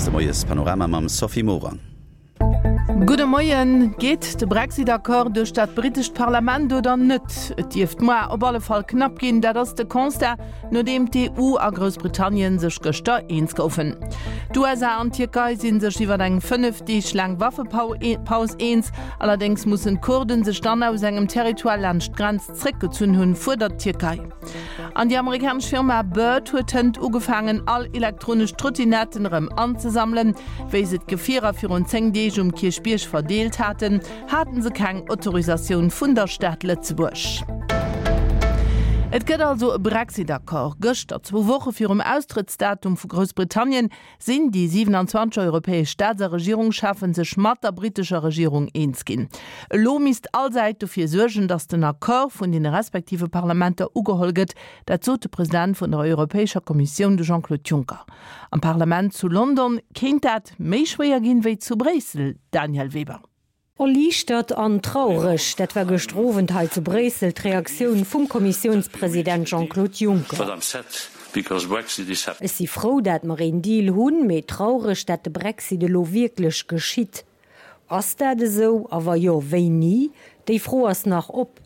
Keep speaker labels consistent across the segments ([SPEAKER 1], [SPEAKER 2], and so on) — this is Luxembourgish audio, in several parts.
[SPEAKER 1] de Moiespanorama mam Sophie Morang.
[SPEAKER 2] Gudde Moien. Geet de Brexit-Accord duerch dat brittescht Parlament oder net? Et dierft moar op alle Fall knapp ginn. Dat ass de Constat, nodeem d'EU a Groussbritannien sech gëschter eens goufen. D'USA an d'Tierkei si sech iwwer eng 5 Deeg laang Waffepaus eens. Allerdéngs mussen d'Kurden sech dann aus engem Territoire laanscht d'Grenz zréckgezunn hunn, fuerdert d'Tierkei. An déi amerikanesch Firma Bird huet hënt ugefaangen, all elektronesch Trottinetten erëm anzesammelen. Wéi se d'Gefierer virun 10 Deeg um Kierchbierg verdeelt haten, haten se keng Autorisatioun vun der Stad Lëtzebuerg. Et gëtt also e Brexit-Accord. Gëschter, zwou Woche virum Austrëttsdatum vu Groussbritannien, sinn déi 27 europäesch Staats a Regierungscheffen sech mat der brittescher Regierung eens ginn. Elo misst all Säit dofir suergen, datt den Accord vun deene respektive Parlamenter ugeholl gëtt. Dat sot de President vun der Europäescher Kommissioun, de Jean-Claude Juncker. Am Parlament zu London kéint dat méi schwéier ginn, wéi zu Bréissel, Danièle Weber.
[SPEAKER 3] Erliichtert an traureg, dat war gëschter Owend hei zu Bréissel d'Reaktioun vum Kommissiounspresident Jean-Claude Juncker. Ech si frou, dat mer een Deal hunn, mee traureg, dat de Brexit elo wierklech geschitt. Ass dat esou, a wa jo, wéini? Déi Fro ass nach op.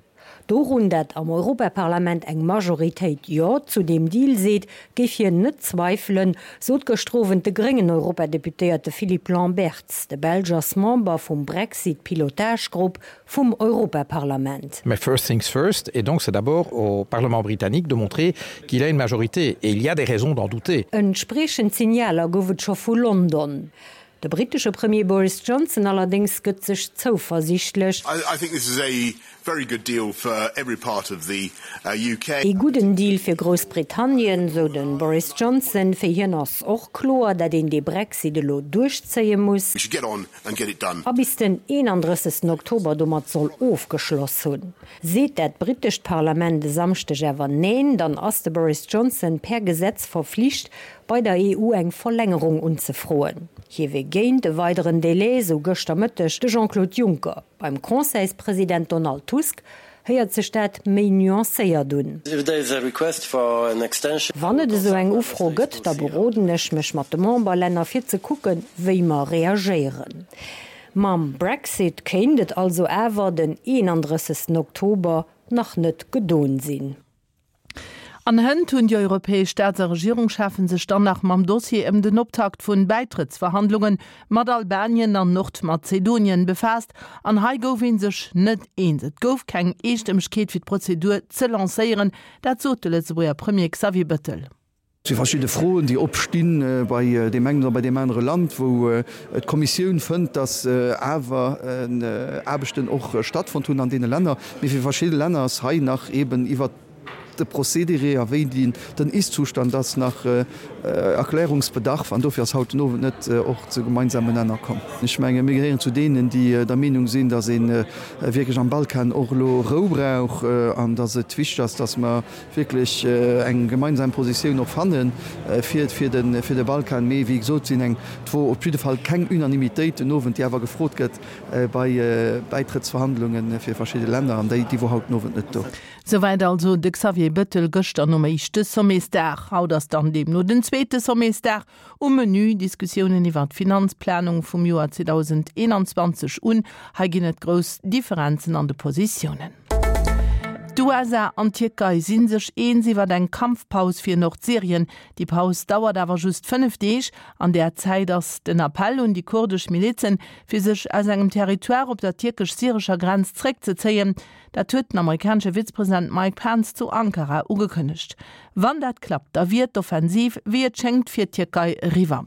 [SPEAKER 3] Dorun, dat am Europaparlament eng Majoritéit Jo zu deem Deal seet, géif hien net zweifelen, sot gëschter Owend de gréngen Europadeputéierte Philippe Lamberts. De Belsch ass Member vum Brexit-Pilotage-Grupp vum Europaparlament.
[SPEAKER 4] Mais first things first, et donc c'est d'abord au Parlement britannique de montrer qu'il a une majorité, et il y a des raisons d'en douter.
[SPEAKER 3] Entspriechend Signaler gouf et scho vu London. De brittesche Premier Boris Johnson allerdéngs gëtt sech zouversiichtlech. Ee gudden Deal fir Groussbritannien, sou de Boris Johnson. Fir hien ass och kloer, dat een dee Brexit elo duerchzéie muss. A bis den 31 Oktober domat soll ofgeschloss hunn. Seet dat brittescht Parlament e Samschdeg awer Neen, dann ass de Boris Johnson per Gesetz verflicht, bei der EU eng Verlängerung unzefroen. Hie wier géint e weideren Delai, sou gëschter Mëtteg de Jean-Claude Juncker. Beim Conseilspresident Donald Tusk héiert sech dat méi nuancéiert un. Wann et esou eng Ufro gëtt, da beroden ech mech mat de Memberlänner fir ze kucken, wéi mer reagéieren. Mam Brexit kéint et also awer den 31 Oktober nach net gedon sinn.
[SPEAKER 2] An hënt hunn déi europäesch Staats a Regierungscheffen sech dann nach mam Dossier ëm den Optakt vun Bäitrëttsverhandlunge mat Albanien an Nordmazedonien befaasst. An hei gouf ee sech net eens. Et gouf keng Eestëmmegkeet fir d'Prozedur ze lancéieren. Dat sot de Lëtzebuerger Premier Xavier Bettel.
[SPEAKER 5] Et si verschidde Froen, déi opstinn bei deem engen oder bei deem anere Land, wou d'Kommissioun fënnt, datt awer Aarbechten och stattfonnt hunn an deene Länner. Mee fir verschidde Länner ass hei nach eeben iwwert de Procédéré a wéi den Ist-Zustand ass nach Erklärungsbedarf. An dofir ass haut den Owend net och zu gemeinsamen Nenner komm. Ech menge mir gehéieren zu deenen, déi der Meenung sinn, datt ee wierklech am Balkan och elo Rou brauch an datt et wichteg ass, datt mer wierklech eng gemeinsam Positioun och fanne fir fir de Balkan. Mee wéi gesot sinn eng et wor op jidde Fall keng Unanimitéit den Owend, déi awer gefrot gëtt bei Bäitrëttsverhandlunge fir verschidde Länner, an déi déi wor haut den Owend net do.
[SPEAKER 2] Souwäit also de Xavier Bettel gëschter nom éischte Sommetsdag. Haut ass dann deemno den zweete Sommetsdag. Um Menü, Diskussiounen iwwer d'Finanzplanung vum Joer 2021 un. Hei ginn et grouss Differenzen an de Positiounen. D'USA an d'Tierkei si sech eens iwwer eng Kampfpaus fir Nordsyrien. Déi Paus dauert awer just 5 Deeg. An där Zäit ass den Appell un déi kurdesch Milizen, fir sech aus engem Territoire op der tierkesch-syrescher Grenz zréckzezéien. Dat huet den amerikanesche Vizepresident Mike Pence zu Ankara ugekënnegt. Wann dat klappt, da wier d'Offensiv, wéi et schéngt, fir d'Tierkei eriwwer.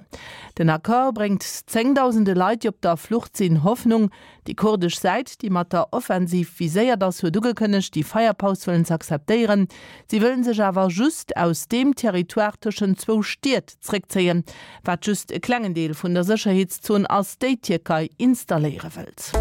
[SPEAKER 2] Den Accord bréngt zéngdausende Leit, déi op der Flucht sinn, Hoffnung. Déi kurdesch Säit, déi mat der Offensiv viséiert ass, huet ugekënnegt, déi Feierpaus wëllen ze akzeptéieren. Si wëllen sech awer just aus deem Territoire tëschent zwou Stied zréckzéien, wat just e klengen Deel vun der Sécherheetszon ass, déi d'Tierkei installéiere wëllt.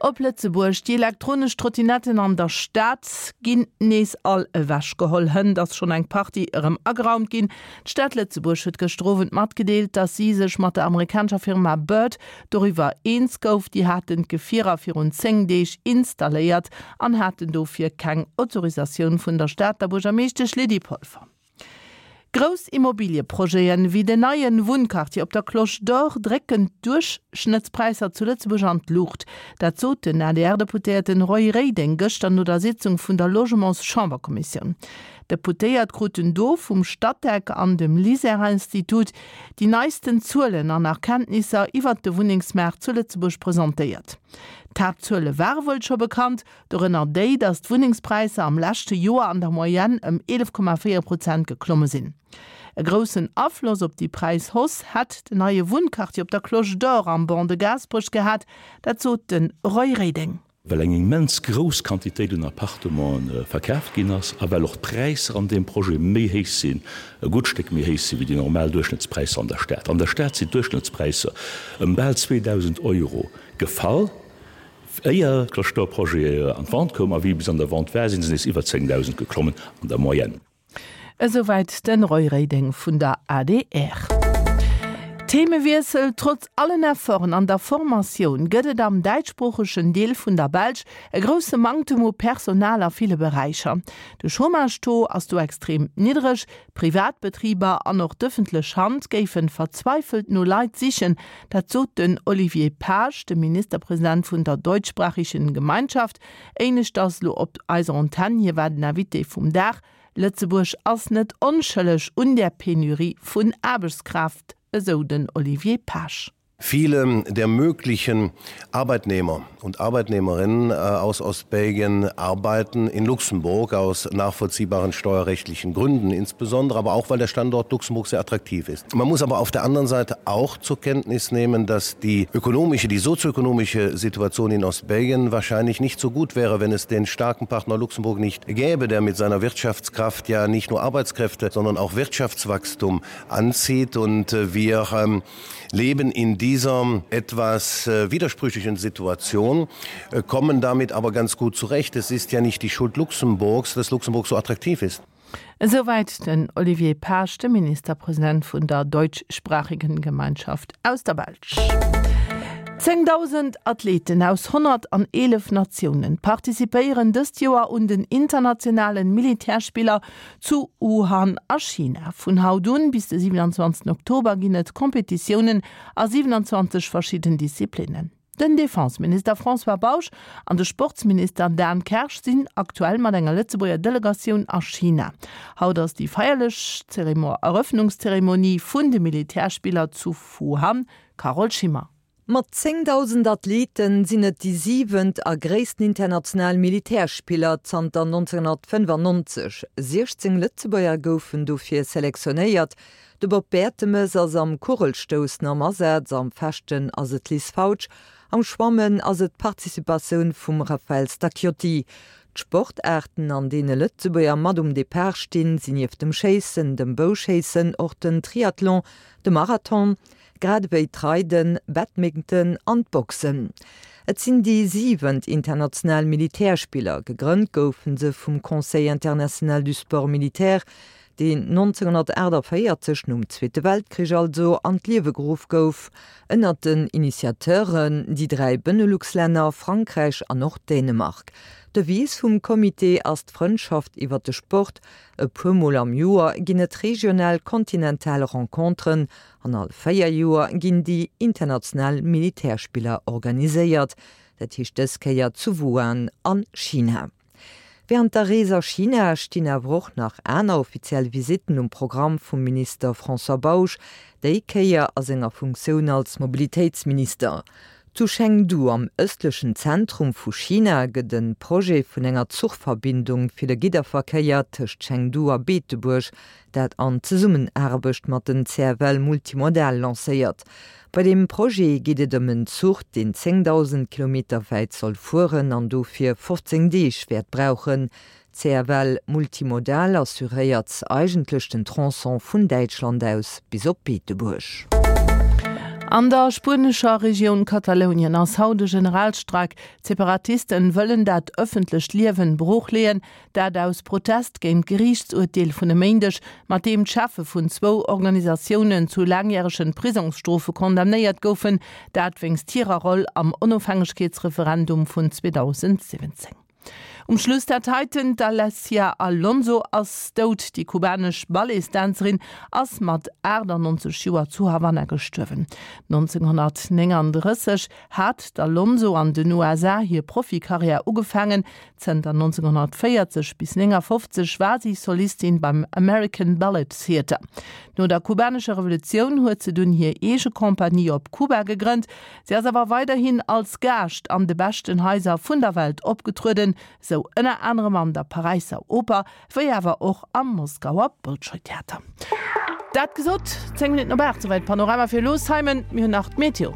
[SPEAKER 2] Op Lëtzebuerg, Déi elektronesch Trottinetten an der Stad ginn nees all ewechgeholl. Hënt ass schonn eng Partie erëm ageraumt ginn. D'Stad Lëtzebuerg huet gëschter Owend matgedeelt, datt si sech mat der amerikanescher Firma Bird doriwwer eens gouf. Déi haten d'Gefierer virun 10 Deeg installéiert an haten dofir keng Autorisatioun vun der Stad, der Buergermeeschtesch Lydie Polfer. Grouss Immobilieprojeten, wéi den neien Wunnquartier op der Cloche d'Or, drécken d'Duerchschnëttspräisser zu Lëtzebuerg an d'Luucht. Dat sot den ADR-Deputéierten Roy Reding gëschter no der Sitzung vun der Logements-Chamberkommissioun. D'Deputéiert kruten do vum Statec an dem LISER-Institut déi neisten Zuelen an Erkenntnisser iwwert de Wunnengsmaart zu Lëtzebuerg presentéiert. D'Haaptzuele ware wuel scho bekannt, Dorënner déi, datt d'Wunnengspräisser am leschte Joer an der Moyenne ëm 11,4 Prozent geklomme sinn. E groussen Afloss op déi Präishausse hätt den neie Wunnquartier op der Cloche d'Or am Ban de Gaasperech gehat, dat sot de Roy Reding.
[SPEAKER 6] Well eng immens grouss Quantitéit un Appartementen verkaaft ginn ass a well och d'Präisser an deem Projet méi héich sinn, e gutt Stéck méi héich sinn, wéi déi normal Duerchschnëttspräisser an der Stad. An der Stad sinn d'Duerchschnëttspräisser ëm bal 2.000 Euro gefall. Éier d'Cloche d'Or Projet an d'Vente koum a wéi e bis an der Vente war, sinn se nees iwwer 10.000 geklommen an der Moyenne.
[SPEAKER 2] Esouwäit den Roy Reding vun der adr. Themewiessel, Trotz allen Efforten an der Formatioun gëtt et am däitschsproochegen Deel vun der Belsch e grousse Manktem u Personal a ville Beräicher. De Chômage-Taux ass do extrem niddreg, Privatbetriber an och d'ëffentlech Hand géifen verzweifelt no Leit sichen, dat sot den Olivier Paasch, de Ministerpresident vun der Deutschsprachigen Gemeinschaft, éineschters elo op eiser Antenn. Hie war den Invité vum Dag. Lëtzebuerg ass net onschëlleg un där Penurie vun Aarbechtskraaft, esou den Olivier Paasch.
[SPEAKER 7] Viele der möglichen Arbeitnehmer und Arbeitnehmerinnen äh, aus Ostbelgien arbeiten in Luxemburg aus nachvollziehbaren steuerrechtlichen Gründen insbesondere, aber auch weil der Standort Luxemburg sehr attraktiv ist. Man muss aber auf der anderen Seite auch zur Kenntnis nehmen, dass die ökonomische, die sozioökonomische Situation in Ostbelgien wahrscheinlich nicht so gut wäre, wenn es den starken Partner Luxemburg nicht gäbe, der mit seiner Wirtschaftskraft ja nicht nur Arbeitskräfte, sondern auch Wirtschaftswachstum anzieht und äh, wir ähm, leben in dieser etwas äh, widersprüchlichen Situation, äh, kommen damit aber ganz gut zurecht. Es ist ja nicht die Schuld Luxemburgs, dass Luxemburg so attraktiv ist.
[SPEAKER 2] Esouwäit den Olivier Paasch, de Ministerpresident vun der Deutschsprachigen Gemeinschaft aus der Belsch. 10.000 Athleten aus 111 Natiounen participéieren dëst Joer un den internationalen Militärspiller Zu Wuhan a China. Vun haut un bis de 27 Oktober ginn et Competitiounen a 27 verschidden Disziplinnen. Den Defenseminister François Bausch an de Sportsminister Dan Kersch sinn aktuell mat enger Lëtzebuerger Delegatioun a China. Haut ass déi feierlech Erëffnungszeremonie vun de Militärspiller zu Wuhan. Carole Schimmer.
[SPEAKER 8] Mat 10.000 Athlete sinn et déi siwent a gréissten international Militärspiller zanter 1995. 16 Lëtzebuerger goufen dofir selektionéiert. De Bob Bertemes ass am Kugelstoussen am Asaz, am Fechten ass et d'Liz Fautsch, am Schwammen ass et d'Participatioun vum Raphaël Stacchiotti. D'Sportaarten, an deene Lëtzebuerger mat um Depart stinn, sinn nieft dem Schéissen, dem Bouschéissen och den Triathlon, de Marathon, grad ewéi d'Reiden, Badminton an d'Boxen. Et sinn déi siwent international Militärspiller. Gegrënnt goufe se vum Conseil international du sport militaire, deen 1948, nom Zweete Weltkrich also, an d'Liewe geruff gouf. Ënnert den Initiateuren déi 3 Benelux-Länner, Frankräich an och Dänemark. D'Devise vum Comité ass d'Frëndschaft iwwer de Sport. E puer Mol am Joer ginn et regional kontinental Renconteren An all 4 Joer ginn déi international Militärspiller organiséiert, dat heescht dës Kéier zu Wuhan a China. Wärend der Rees a China stinn awer och nach aner offiziell Visitten um Programm vum Minister François Bausch, déi Kéier a senger Funktioun als Mobilitéitsminister. Zu Chengdu, am ëstlechen Zentrum vu China, gëtt e Projet vun enger Zuchverbindung fir de Gidderverkéier tëscht Chengdu a Beetebuerg dat an Zesummenaarbecht mat den CFL Multimodal lancéiert. Bei deem Projet geet et ëm en Zuch, deen 10.000 Kilometer wäit soll fueren an dofir 15 Deeg wäert brauchen. CFL Multimodal assuréiert eigentlech den Tronçon vun Däitschland aus bis op Beetebuerg.
[SPEAKER 2] An der spuenescher Regioun Katalounien ass haut e Generalstreik. D'Separatisten wëllen dat ëffentlecht Liewen broochleeën. Dat aus Protest géint d'Geriichtsurteel vun e Méindeg, mat deem d'Cheffe vun zwou Organisatiounen zu laangjäregen Prisongsstrofe condamnéiert goufen, dat wéinst hirer Roll am Onofhängegkeetsreferendum vun 2017. Um Schluss dat heiten, D'Alessia Alonso ass dout. Déi kubanesch Balletsdänzerin ass mat 98 Joer zu Havanna gestuerwen. 1939 hat d'Alonso an den USA hir Profikarriär ugefaangen. Zënter 1940 bis 59 war si Solistin beim American Ballet Theatre. No der kubanescher Revolutioun huet se dunn hir eege Compagnie op Kuba gegrënnt. Si ass awer weiderhin als Gaascht an de beschten Haiser vun der Welt opgetrueden, sou ënner anerem an der Paräisser Oper, wéi awer och am Moskauer Bolschoi-Theater. Dat gesot, 10 Minutten op 8, souwäit Panorama fir elo. Simon, mir hunn nach d'Meteo.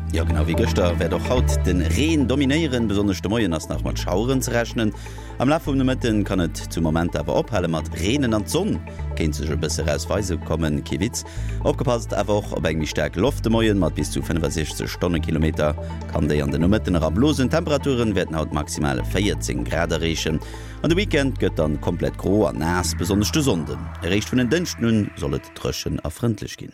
[SPEAKER 1] Jo, genau wéi gëschter wäert och haut de Reen dominéieren. Besonnesch de Moien ass nach mat Schaueren ze rechnen. Am Laf vum Nomëtten kann et zu Momenter awer ophale mat reenen an d'Sonn kéint sech e bësse raus weise kommen. Kee Witz. Opgepasst awer och op eng méi staark Loft de Moien, mat bis zu 65 Stonnekilometer kann déi an de Nomëtten era blosen. D'Temperaturen wäerten haut maximal 14 Grad erreechen an de Weekend gëtt dann komplett gro a naass, besonnesch de Sonnden. Eréischt vun en Dënschden un soll et dréchen a frëndlech ginn.